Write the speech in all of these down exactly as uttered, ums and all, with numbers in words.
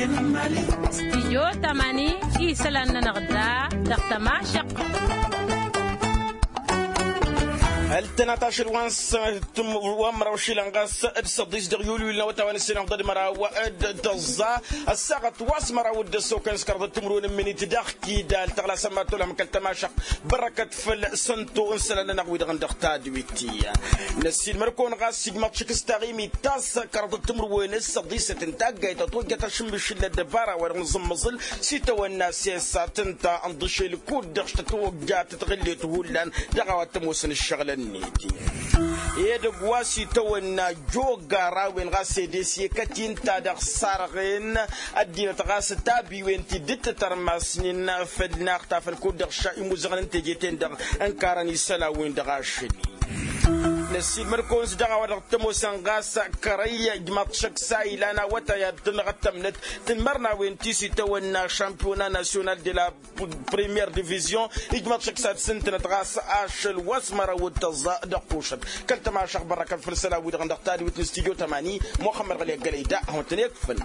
Stijyo tamani isălan-nănăɣ da dăɣ-tămašăɣt. Ăltănat ašăl wa n-sănăt wa n-măraw išilan ɣas d-săḍis dăɣ-yulwil n-awătawăn s-inăɣḍăd măraw d-tăẓẓa ăssaɣăt wa s-măraw d-ăssokăn s-kăraḍăt timǝrwen n-minit daɣ kidal tăɣlasăn ma tolăm kăl-tămašăɣt bărăkăt făll-sănto n-isălan-nănăɣ wi-dăɣ n-dăɣ tadwit. Năssiilmăr-kăwăn ɣas ijmaḍ šik s-taɣimit ta s-kăraḍăt timǝrwen s-săḍisăt n-taggayt a tojjăt ašǝmmišǝl n-ăddăbara wa dăɣ-nǝẓǝmmăẓǝl s-itawănna sesat ǝnta ănḍǝšel kud-dăɣ s-tătwăjja tătɣǝllet hullan dăɣ-a-wa t-ămoosăn ǝššăɣǝlăn-net. Edăgg wa s-itawănna joggar a-wen ɣas ed esǝyekăt-in ta dăɣ-sarɣen ăddinăt ɣas tabiwen ti dd-tătărmasnen făll-inaxtafăn kud-dăɣ ša imuzăɣăn n-teje-ten-dăɣ ǝnkarăn isălan-win-dăɣ ašăl-i. Năssiilmăr-kăwăn-s dăɣ-a-wa dăɣ-t-ămoosăn ɣas kărăy ijmaḍ šăkk s-a ilan awătay ad-tănɣăt tămnăt tǝnmărnawen ti s-itawănna šampiyona nasyonal de la premiyer divizyon. Ijmaḍ šăkk s-ad-sǝntǝnăt ɣas ašăl wa s-măraw d-tăẓẓa dăɣ-tušăt kăl-tămašăɣt bărrăkăn făll-isălan-wi-dăɣ n-dăɣ tadwit n-studyo tămani muxămmăd ɣăli ăggălăy da ad-hawăn-tăn-ikfǝn.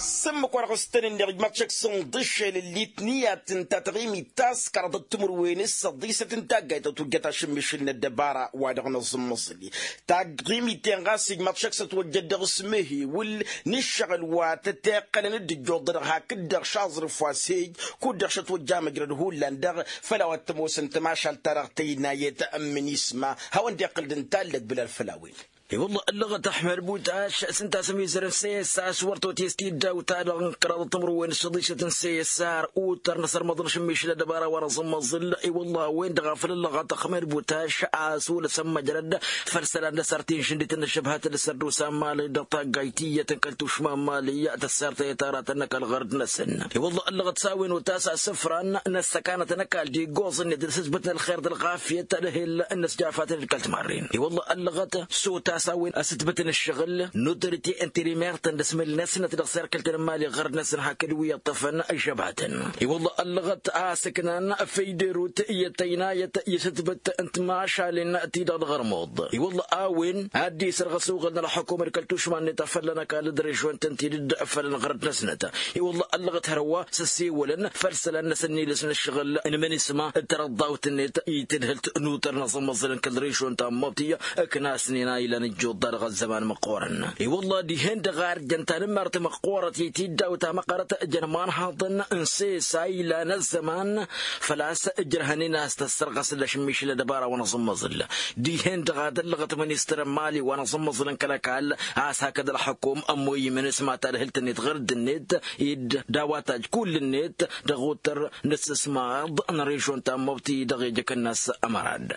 S-ǝmmǝk wa dăɣ-s tăn-ǝnneɣ ijmaḍ šăkk s-ǝnḍǝššel ǝllit n-iyyăt ǝnta taɣimit ta s-kăraḍăt timǝrwen s-săḍisăt n-taggayt a tujjăt ašǝmmišǝl n-ăddăbara wa dăɣ-nǝẓǝmmăẓǝli. Taɣimit-en ɣas ijmaḍ šăkk s-ătwăjjăt dăɣ-s mehewǝl n-ǝššăɣǝl wa tăteqqălăn d-ǝjjuḍădăɣ hakd-dăɣ šaẓrǝf wa s-hej kud-dăɣ šătwăjja amǝjrăd hullan-dăɣ făll-a-wa t-ămoosăn tămašalt-ta-dăɣ tăynayăt n-imǝnisma. Hawăn-dd-iqqǝl d-ǝntallăg bǝlal făll-a-wen. I-wălla ăllăɣăt ăḥmăd butaš s-ǝnta a-s ămizărăn s-e-s a-s wăr totǝyăs tiddaw-ta-dăɣ n-kăraḍăt timǝrwen s-săḍisăt n-s e-s ar utăr n-asărmăḍ n-ašǝmmišǝl ăddăbara wa n-aẓǝmmăẓǝl. I-wălla a-wen-dăɣ a făl ăllăɣăt ăxmed butaš a-s wăla s-ămmăjrăd făll-isălan d-asărti n-išǝndit n-ăššăbhăt d-asărdusa n-mali dăɣ-taggayt tiyyăt n-kăl-tušma n-mali tăssartăyăt aratăn n-ăkall ɣărd-năsăn. I-wălla ăllăɣăt s-a-wen otas asǝfran n-ăssăkanăt n-ăkall d-iggoẓ-net d-asǝzbǝt n-ălxer d-ălɣafyăt d-ehel n-ăsjafatăn d-kăl-timarren. I-wălla ăllăɣăt s-otas a-wen asǝtbǝt n-ǝššăɣǝl n-otorite n-tirimert n-dăr-s mǝl-năsnăt dăɣ-serkăl-tăn n-mali ɣărd-năsăn hakd wi iṭṭăfăn ăžžăbatăn. I-wălla ăllăɣăt a ăsǝknan făyderut i-tăynayăt i-asǝtbǝt n-timašalen-ti-dăɣ dăɣ-ărmuḍ. I-wălla a-wen ad-dd-isărɣăs uɣǝl n-ălxukum d-kăl-tušma-net a fălla n-ăkall d-režion-tăn-ti-dd făll-ălɣărd-năsnăt. I-wălla ăllăɣăt hărwa s-ăssewălăn făll-isălan-năsăn n-iles n-ǝššăɣǝl n-imǝnisma d-tarăḍḍawt-net i-tadhǝlt n-utăr n-aẓǝmmăẓǝl n-kăl-režion ta n-măḍti. Ǝknasnen a ilan ǝjjuḍ-ta dăɣ-ăzzăman măqqoorăn. I-wălla dihen-dăɣ a ărjăn tanǝmmart măqqoorăt i-tiddaw ta măqqărăt jăn imanhaḍăn n-ses a ilan ăzzăman făl-a-s ǝjrăhăn-in a-s tăssărɣăs d-ašǝmmišǝl ăddăbara wa n-aẓǝmmăẓǝl. Dihen-dăɣ ad-ăllăɣăt ministăr n-mali wa n-aẓǝmmăẓǝl n-kăl-ăkall a-s hakd ălxukum ămmoy imǝnǝs ma tadhǝlt-net ɣǝrǝdd-net dd-a-wa tajj kull-net dăɣ-otăr n-ǝssǝsmaḍ n-režion ta n-măbti dăɣ-ejăk-năs ămărad.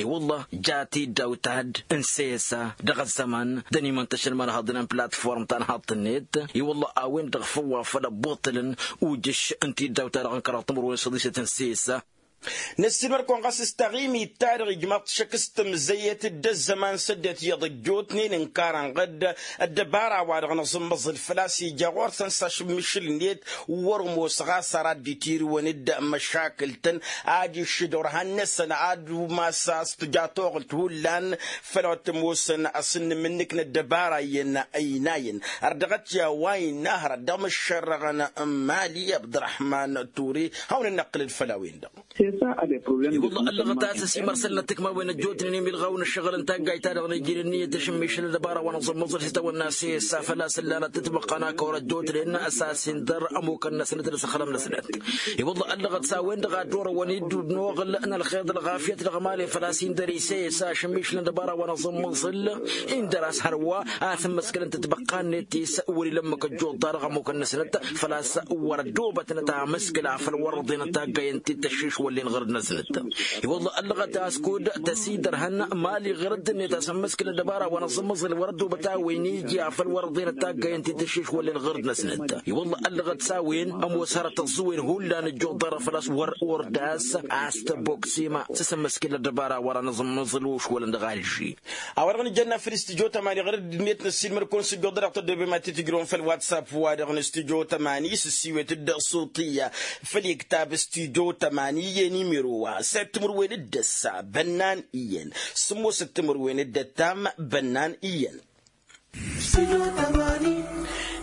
I-wălla ja tiddaw-ta-dd n-sesa dăɣ-ăzzăman d-ănimăntăšăn imanhaḍăn n-platform ta n-haḍt-net. I-wălla a-wen-dăɣ făw a făl ăbbuṭṭǝlăn ujǝš n-tiddaw-ta-dăɣ n-kăraḍ timǝrwen s-ăḍisăt n-sesa. Năssiilmăr-kăwăn ɣas s-taɣimit-ta-dăɣ ijmaḍ-t šăkk s-tǝmzăyăt d-ăzzăman s-ăddinăt iyyăḍ ăjjootnen ǝnkarăn ɣǝd ăddăbara wa dăɣ-nǝẓǝmmăẓǝl făl-a-s ija ɣur-săn s-ašǝmmišǝl-net. Wăr-ămoos ɣas ar ad-dd-itirǝwăn d-măšakǝl-tăn ad-iššǝd orhan-năsăn ad-umas a-s tǝja toɣǝlt hullan făll-a-wa t-ămoosăn asǝnnǝm-nǝk n-ăddăbara iyyăn ăynayăn. Ărdăɣăt i-a-wa innă hărăt dăɣ-imǝššărrăɣăn n-mali abdărăhman ture. Hawăn-dd-năqqǝlăd făll-a-wen-dăɣ. I-wălla ăllăɣăt a-s ăsimărsălnăt tikmawen ăjjootnen imilɣaw n-ǝššăɣǝl n-taggayt-ta-dăɣ n-iji d-ǝnniyăt ašǝmmišǝl ăddăbara wa n-aẓǝmmăẓăl s-itawănna s-e-s a făl-a-s ǝllanăt tǝtmăqqa n-akăwăr ăjjootnen s-a-s indăr ămukăn-năsnăt d-asăxlăm-năsnăt. I-wălla ăllăɣăt s-a-wen-dăɣ a dd-orăwăn-dd n-oɣǝl n-ălxer d-ălɣafyăt dăɣ-mali făl-a-s indăr i-s e-s ašǝmmišǝl n-ăddăbara wa n-aẓǝmmăẓǝl indăr a-s hărwa a tǝmmǝskǝlăn tǝtbăqqa-net ti-s wăr-ila ǝmmǝk ăjjuḍ-ta-dăɣ ămukăn-năsnăt făl-a-s wăr-ăddoobătnăt amǝskǝl afăl wăr-ărḍenăt taggayen ti tăššišwăllen ɣărd-năsnăt. I-wălla ăllăɣăt a-s kud-tăsidărhăn mali ɣărd-net a-s ămmǝskǝl ăddăbara wa n-aẓǝmmăẓǝl wăr-ăddoobăt a-wen iji afăl wăr-ărḍenăt taggayen ti tăššišwăllen ɣărd-năsnăt. I-wălla ăllăɣăt s-a-wen ămoos hărăt ăẓẓǝwen hullan ǝjjuḍ-dăɣ făl-a-s wăr ordas a-s tăbboksima s-asǝmmǝskǝl ăddăbara wa n-aẓǝmmăẓǝl ušwălăn dăɣ-alži. A-wa-dăɣ nǝjănna făll-studyo tămani ɣărăd-net năssiilmăr-kăwăn s-ǝjjuḍ-dăɣ tăddobem ad-t-tǝjrǝwăn făll-whatsapp-wa-dăɣ n-studyo tămani s-ǝssiwet-dd suṭiyya făll-iktab studyo tămani i-nimiro wa s-timǝrwen d-ăssa bănnan iyyăn sǝmmosăt timǝrwen d-ăttam bănnan iyyăn.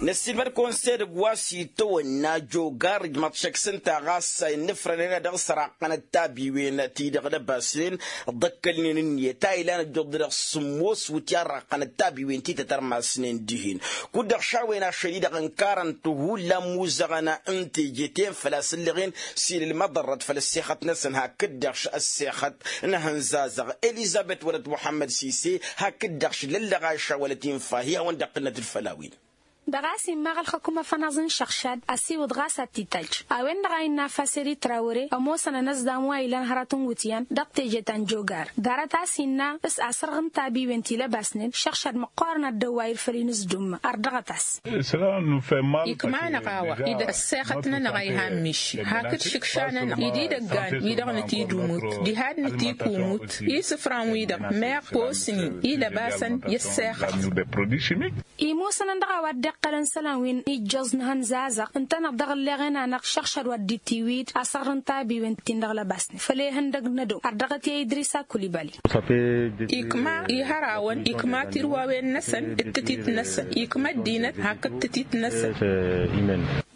Năssiilmăd-kăwăn s-edăgg wa s-itawănna jogar ǝjmăḍ šăkk s-ǝnta ɣas a innǝfrănen ad-dăɣ-s raqqănăt tabiwen-ti-dăɣ lăbasnen ḍăkkălnen ǝnniyăt a ilan ăjjuḍ-dăɣ s-sǝmmos wǝtyan raqqănăt tabiwen ti tătărmasnen dihen. Kud-dăɣ šawen ašăl-i-dăɣ ǝnkarăn-t hullan imuzăɣăn n-teje-ten făl-a-s ǝlleɣen s-ilăl măḍărrăt făll-ăssexăt-năsăn hakd-dăɣ š-ăssexăt n-ehăn zazăɣ elizăbet wălăt muḥămmăd sise hakd-dăɣ š-lăllăɣ a išawălăt infa hi-hawăn-dd-ăqqǝlnăt d-făll-a-wen. Dăɣ-a-s immaɣ ălxǝkum afănaẓ n-išăɣšad ăsiwǝḍ ɣas ad-t-itajj a-wen-dăɣ a innă afaseri trawăre ămoosăn ănăzzam wa ilan hărăt n-iwǝtyan dăɣ-teje ta n-jogar. Ḍarăt a-s innă s-asărɣ n-tabiwen ti lăbasnen išăɣšad măqqoorăn ad-dd-ăwwayǝd făll-inǝzdummă ărdăɣăt-as. Ikma-năɣ a-wa-dd ăssexăt-nănăɣ a iha ămmiši hakd šǝkša-nănăɣ-i d-idăggan-wi-dăɣ nǝtidumut diha d-nǝtikumut isǝfran-wi-dăɣ meɣ posnin ilăbasăn i-ăssexăt. Imusănăn dăɣ-a-wa dd-iqqălăn isălan wi n-ijjăẓ n-ehăn zazăɣ ǝntăneḍ dăɣ-ǝlleɣen-anăɣ išăɣšad wa dd-itiwǝy-dd asăɣrǝn tabiwen-tin-dăɣ lăbasnen făll-ehăndăg n-ădow ărdăɣăt i-idris akulibali. Ikma ihărawăn ikma tirwawen-năsăn d-tǝtit-năsăn ikma ăddinăt hakd tǝtit-năsăn.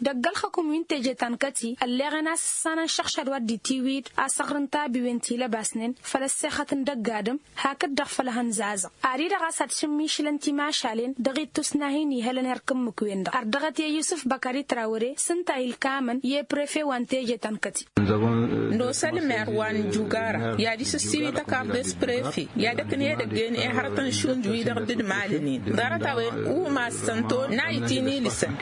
Dăgg-ălxǝkum wi n-teje ta n-kăti ălleɣen a-s ǝssanăn šăɣšad wa dd-itiwǝy-dd asăɣrǝn tabiwen ti lăbasnen făll-ăssexăt n-dăgg-adǝm hakd-dăɣ făll-ehăn zazăɣ. Ad-i-dăɣ a-s ad-šǝmmišǝlăn timašalen dăɣ-ittus n-ad-hin-ihălăn erk ǝmmǝk-wen-dăɣ ărdăɣăt i-yusǝf băkări trawăre s-ǝnta a ilkamăn i-prefe wa n-teje ta n-kăti. Nosălmer wa n-jugara i-ad-isǝssiwi tăkarḍe s-prefe i-ad-ăknedăgg-en i-hărătăn šund-wi-dăɣ dd-malnen ḍarăt-a-wen umas sănto n-a itinilǝsăn.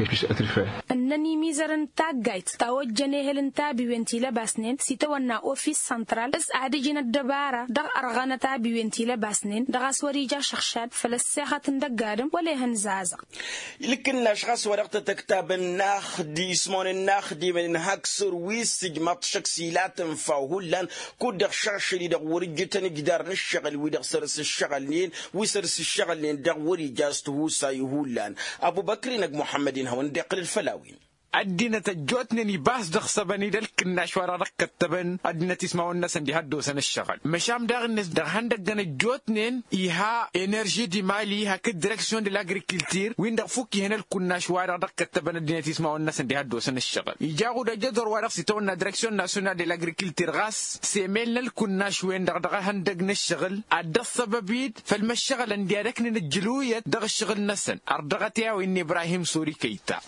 Ǝnnăn imizărăn n-taggayt ta ojjăn ehăl n-tabiwen ti lăbasnen s-itawănna ofis săntral s-ad-ǝjǝn ăddăbara dăɣ-ărɣănăt abiwen ti lăbasnen dăɣ-a-s wăr-ija ašăɣšad făll-ăssexăt n-dăgg-adǝm wăla ehăn zazăɣ. Ilkǝnnaš ɣas wa dăɣ-tăt-ăktabăn n-axdi ismawăn n-axdimăn n-hak săr wi s-ǝjmăḍ šăkk s-ila tǝnfa hullan kud-dăɣ šašăl-i-dăɣ wăr-ǝjjǝtăn ǝjdar n-ǝššăɣǝl wi-dăɣ săr-s ǝššăɣǝlnen wi săr-s ǝššăɣǝlnen dăɣ-wăr-ija s-tihusay hullan. Ăbubăkr-in ăgg muḥămmăd-in hawăn-dd-iqqǝl d-făll-a-wen. Ăddinăt ăjjootnen ibas dăɣ-săbăn-dd ălkǝnnaš wa dăɣ-dd-ăkkăttăbăn ăddinăt ismawăn-năsăn diha ăddoosăn ǝššăɣǝl măšan daɣ-net dăɣ-ihăndăggăn ăjjootnen iha enerži di mali hakd direksyon de l-agrikiltir-win-dăɣ fukk ihăn ălkǝnnaš wa dăɣ-dd-ăkkăttăbăn ăddinăt ismawăn-năsăn diha ăddoosăn ǝššăɣǝl ija aɣud ăjădor wa dăɣ-s itawănna direksyon nasyonal de l-agrikiltir ɣas semel n-ălkǝnnaš-wen-dăɣ dăɣ-ihăndăgg n-ǝššăɣǝl ad-dd-ăṣṣăbăb-dd făll-măššăɣǝlăn diha d-ăknen ǝjjǝluyăt dăɣ-ǝššăɣǝl-năsăn. Ărdăɣăt i-a-wa innă ibrahim sori kăyta.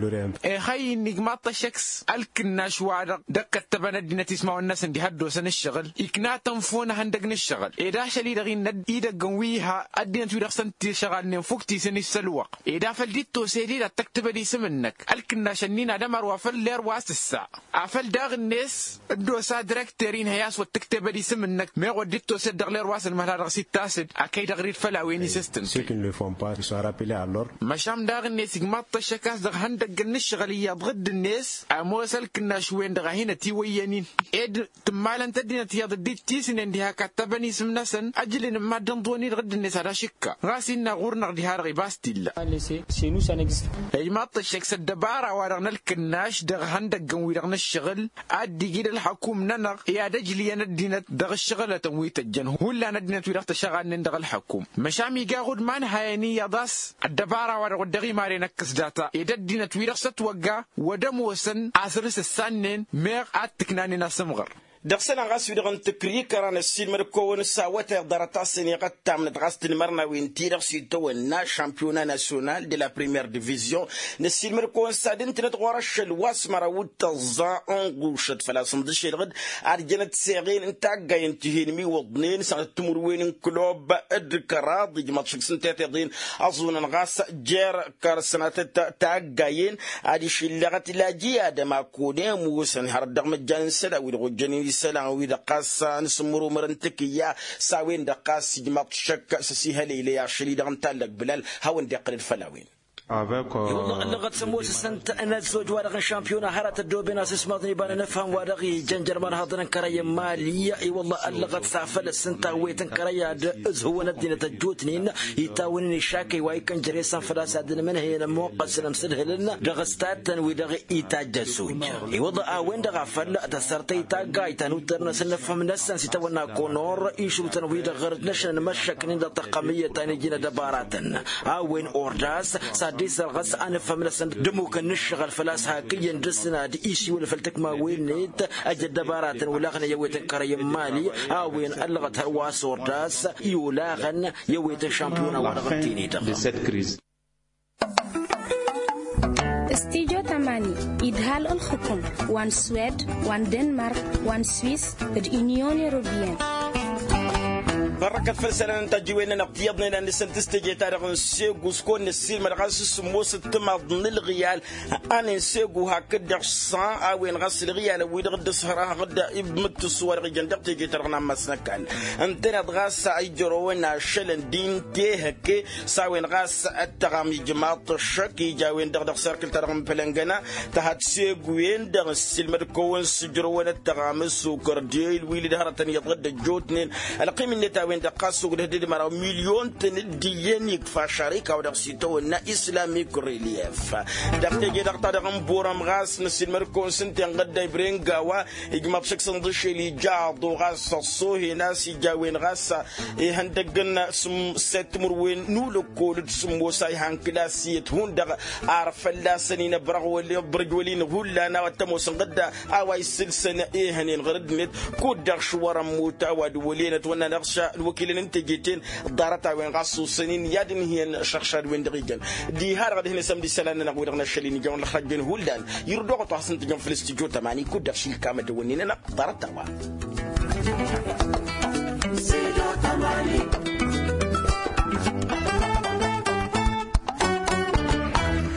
Ixăyyǝn igmaḍ-t ăššăk s-ălkǝnnaš-wa-dăɣ d-ăkkăttăbăn ăddinăt ismawăn-năsăn diha ăddoosăn ǝššăɣǝl ikna tănfon ihăndăgg n-ǝššăɣǝl ed ašăl-i-dăɣ innă idăggăn wi iha ăddinăt-wi-dăɣ săn-t-išăɣalnen fukk tisăn-i s-ălwăqq ed afăl dd-tosed-dd ad-tăktăbăd isǝm-năk ălkǝnnaš-ǝnnin ad-ămăr wa făl ler wa s-ǝssa. Afăl daɣ-net dd-osa direkter-in hăy-a-s wăr tǝktebăd isǝm-năk meɣ wăr dd-tosed dăɣ-ler wa s-ălmăhla dăɣ-s ittas-dd a kăy-dăɣ rid făll-a-wen isǝstǝn. Măšan daɣ-net igmaḍ-t ăššăk a-s dăɣ-ihăndăgg n-ǝššăɣǝl iyyăḍ ɣǝdd-net ămoos ălkǝnnaš-wen-dăɣ a hin-ătiwăyyăn-in ed tǝmmalăn-t ăddinăt iyyăḍ dd-ittisnen diha kattăbăn isǝm-năsăn ăjlǝn n-mad-dănḍon-i-dăɣ dd-net ad-ašǝkka. Ɣas innă ɣur-năɣ diha-dăɣ ibas t-illa. Ijmaḍ-t ăššăk s-ăddăbara-wa-dăɣ n-ălkǝnnaš dăɣ-ihăndăggăn-wi-dăɣ n-ǝššăɣǝl ad-dd-iji d-ălxăkum-nănăɣ i-ad-ăjlǝyăn ăddinăt dăɣ-ǝššăɣǝlătăn wi tăjjăn hullan ăddinăt-wi-dăɣ tăšăɣalnen dăɣ-ălxăkum. Măšan iga aɣud ma n-hayăn iyyăḍ a-s ăddăbara-wa-dăɣ wăr dăɣ-imarăn ăkkăs data ed ăddinăt-wi-dăɣ s-ătwăgga wăr ămoosăn asrǝs ǝssannen meɣ ad-t-ǝknanen asǝmɣăr. Dăɣ-isălan ɣas wi-dăɣ n-tǝkrikăra năssiilmăd-kăwăn s-awătay ḍarăt a-s ăniɣăttamnăt ɣas tinmărnawen-ti-dăɣ s-itawănna šampiyona nasyonal de la première division. Năssiilmăd-kăwăn s-ad-ǝntǝnăt ɣur-ašăl wa s-măraw d-tăẓẓa n-ɣušăt făl-a-s ǝnḍǝšel ɣǝd ad-jănăt seɣel n-taggayen tihen imiwǝḍnen sănatăt timǝrwen n-klub d-kăraḍ ijmăḍ šǝg s-ǝnta i-tiḍen ăẓunăn ɣas jer-kăr-sănatăt taggayen. Ad-išǝllăɣăt laji adăma kăwăn-e-musăn hărăt dăɣ-măjjan n-isălan wi-dăɣ ojjănen isălan-wi-dăɣ ɣas n-asǝmmărumăr n-tǝkǝyya s-a-wen-dăɣ ɣas ijmaḍ šăkk s-asihăleylăy ašăl-i-dăɣ n-tallăk bǝlal. Hawăn-dd-iqqǝlăd făll-a-wen. I-wălla ăllăɣăt s-ămoos s-ǝnta n-ăzzoj-wa-dăɣ n-šampiyona hărăt ăddooben a-s s-imaḍăn iba n-anăfham-wa-dăɣ ijăn jărman haḍăn n-kărăyăn mali. I-wălla ăllăɣăt s-afăl s-ǝnta a-wen tăn-kărăy ad-ǝzhǝwăn ăddinăt ăjjootnen itawănen išakăy wa ikăn jere-săn făl-a-s ad-ǝnmǝnhăyăn ămmoqqăsăn ămsǝdhǝlăn dăɣ-s tattăn-wi-dăɣ itajj ăzzoj. I-wălla a-wen-dăɣ afăl tăssărtăy taggayt ta n-uttăr-năsăn n-afhăm-năsăn s-itawănna konor išrutăn-wi-dăɣ ɣărăt n-ašăn ănmăššăknen dăɣ-tăqqămǝyyăt ta n-iji n-ad-ăbaratăn. A-wen ordas s-ad-dd-isărɣăs anǝfhăm-năsăn d-ămmukăn n-ǝššăɣǝl făl-a-s hak iyyăn dăr-săn ad-isiwǝl făll-tǝkmawen-net ăj ăddăbaratăn wălaɣnăy a-wen tăn-kărăyăn mali. A-wen ăllăɣăt hărwa s-ordas i-olaɣăn i-a-wen tăn-šampiyona wa dăɣ-tine-dăɣ. Studyo tamani idhal ǝlxǝkum wa n-swed wa n-denmark wa n-swis d-inyon europiyăn. Bărrăkăt făll-isălan n-tajǝwen-nănăɣ tiyyăḍnen ad-nǝsǝnt s-teje-ta-dăɣ n-segu s-kăwăn-năssiilmăd ɣas s-sǝmmosăt timaḍ n-ǝlɣǝyal. Anen segu hakd-dăɣ s-a a-wen ɣas ǝlɣǝyalăn-wi-dăɣ dd-ăshărăhăɣ-dd ibmǝttǝs wa dăɣ-ijăn dăɣ-teje-ta-dăɣ n-ammas n-ăkall. Ǝntăneḍ ɣas a ijărăwăn ašălăn din tehăkke s-a-wen ɣas ăttăɣam ijmaḍ-t ăššăk ija a-wen-dăɣ dăɣ-serkǝl-ta-dăɣ n-pălăngăna. Tăhad segu-en-dăɣ n-sǝlmăd-kăwăn s-ǝjrăwăn ăttăɣam s-okărdel wi-li d-hărătăn iyyăḍ ɣǝd ăjjootnen. Ălqim-net a-wen-dăɣ ɣas ogdăh d-dd-măraw milyon-tăn dd-iyyăn ikfa šarika wa dăɣ-s itawănna islamik relief. Dăɣ-teje-dăɣ ta dăɣ-n borăm ɣas năsilmăd-kăwăn s-ǝnta inɣădda ibrenga wa ijmaḍ šăkk săn d-ašel ijaḍ-o ɣas ăṣṣohen a-s ija a-wen ɣas ihăndăggăn s-săt timǝrwen n-ulăkkol d-sǝmmos a ihan kǝlas iyyăt hundăɣ. Ar fălla-săn inăbrăɣ wăl-iḍrǝj wăl-inăɣ hullan a-wa t-ămoos ǝnɣădda a-wa isǝlsăn ehănen ɣur-ăddinăt. Kud-dăɣ šwăr-ămmut a-wa d-wăl' enăt wănna n-aɣsa n-wăkilăn n-teje-ten. Ḍarăt-a-wen ɣas osăn-in i-ad-ǝnhǝyăn ašăɣšad-wen-dăɣ ijăn diha-dăɣ ad-ǝhǝnăsăm d-isălan-nănăɣ wi-dăɣ n-ašăl-in ijăn wăla ăxrajjăn hullan. Irǝd oɣăt wa hasăn-tǝjăn făll-studyo tămani kud-dăɣ šilkam ad-ăwănnin-anăɣ ḍarăt-a-wa.